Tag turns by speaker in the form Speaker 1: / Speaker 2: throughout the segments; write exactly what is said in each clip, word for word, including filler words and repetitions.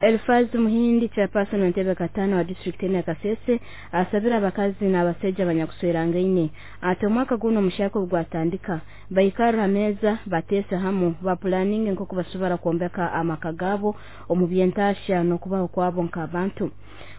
Speaker 1: Elifazi Muhindi, chairperson w'entebe katano wa district ya Kasese, asabira abakazi n'abasajja abanyakuswerangaine ati omwaka guno omushaka ogwatandika baikarra ha meeza, bateese hamu, bapulaninge nk'oku basobora kwombeka amaka gaabo omu by'entaasya n'okubaho kwabo nk'abantu.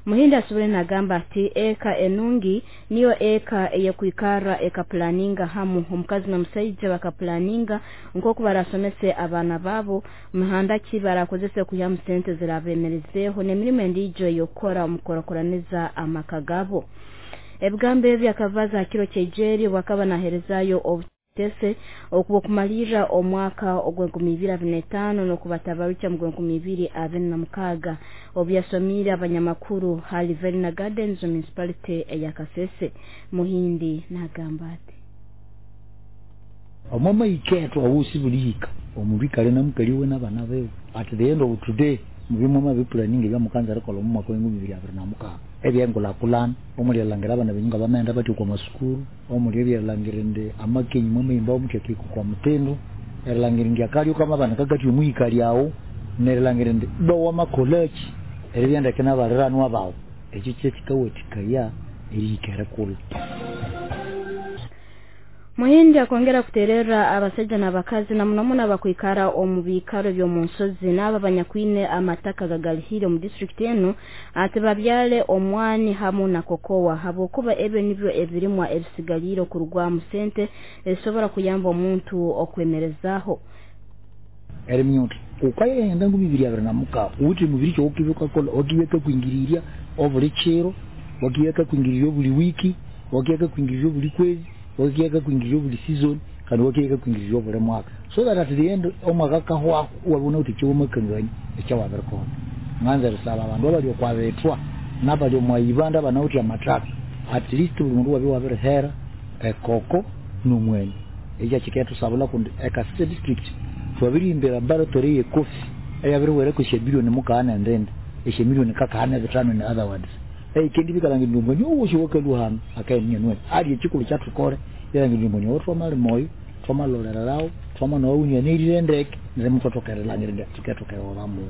Speaker 1: Muhindi asobole nagamba ati eka enungi niyo eka eyekwikarra ekapulaninga hamu, omukazi n'omusaija bakapulaninga nk'oku barasomese abaana baabo, muhanda ki barakozese kwihamu sente zirabemerezeeho n'emirimo endiijo ey'okukora omu kukurakuraniza amaka gaabo. Ebigambo ebi akabaza ha kiro ky'eijeri obwakaba naheerezaayo obutese okumalirra omwaka ogw'enkumi ibiri abiri n'etaano n'okubatabarukya mu gw'enkumi ibiri abiri na mukaaga, obu yasomiire abanyamakuru hali Verna Gardens Municipality eya Kasese. Muhindi nagamba ati
Speaker 2: omwama iketwa awusi bulihika omuntu ikale namukali we n'abaana bewe. At the end of today, mubimwe bipulaninga ebyamukanza arikola omu mwaka w'enkumi ibiri abiri na mukaaga, ebyengulakulana omuli erilhangira abana benyu nga bamaghenda batya okwa masukuru, omuli ebyerilhangira indi amakenyi mwamaghimba muthya kwa mutindo, erilhangira indi akalyo kamabana kakathya omwihika lyawu, nerilhangira indi iba wamakolaki eribya ndeke nabaliranwa bawu. Ekyo kyekikawathikaya erihika erikulha.
Speaker 1: Muhindi akongera kuterera abasajja n'abakazi na muno muno abakwikara omu biikaro by'omu nsozi n'abo abanyakwine amataka gagalihire omu district enu ati babyale omwani hamu na kokowa, habwokuba ebyo nibyo ebirimwa ebisigaliire okurugwamu sente ezisobora kuyamba omuntu okwemerezaaho.
Speaker 2: Eriminyuta ukayenda ngumi ibiri abiri na mukaaga uwithe emibiri kyowokiba wukakolha, wakiba kwingirirya obuli kiro, wakiba kwingirirya obuli wiki, wakiba kwingirirya obuli kwezi, wakiba kwingirirya obuli season, kandi wakiba kwingirirya obuli mwaka, so that at the end omwaka kahwako wabona uthi kyowamakangania ekyawabirikolha. Nganza erisaba abandu abali okwabethwa nabali omwaibanda abanawithe amathaka, at least buli mundu wabya wabirihera ekoko n'omwani. Ekyo kikethusabulha kundi eKasese district twabirihimbira laboratory ye coffee eyabiriwerako esyabilioni mukagha nendindi esyamilioni kakagha nebithano. In other words, eikendi bikalhangira omwani owosi owakalwa hanu akaghenda ali ekikulhu kyathukole erilhangira omwani owo twamalima oyo, twamalolererawo, twamanowa wunyanirire ndeke, neryo muthwathoka erilhangira indi thukethoka erighulhamuwo.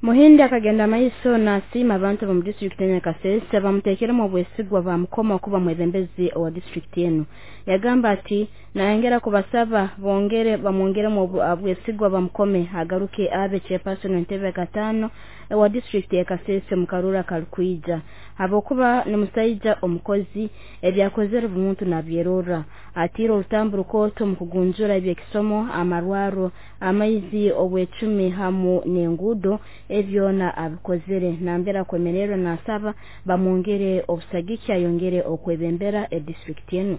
Speaker 1: Muhindi akagenda maiso nasiima abantu b'omu district ya Kasese bamuteekeremu obwesigwa bamukoma okuba mwebembezi owa district enu. Yagamba ati nayongera kubasaba bongere bamwongeremu obwesigwa bamukome agaruke abe chairperson w'entebe katano owa district ya Kasese mu karura karukwija, habwokuba ni musaija omukozi, ebyakozere buli muntu nabyerorra. Atiire orutambu rukooto mu kugunjura ebyekisomo, amarwaro, amaizi, obwecumi hamu n'enguudo, ebyona abikozere. Nambere akwemererwa nasaba bamwongere obusagiki ayongere okwebembera edistrict enu.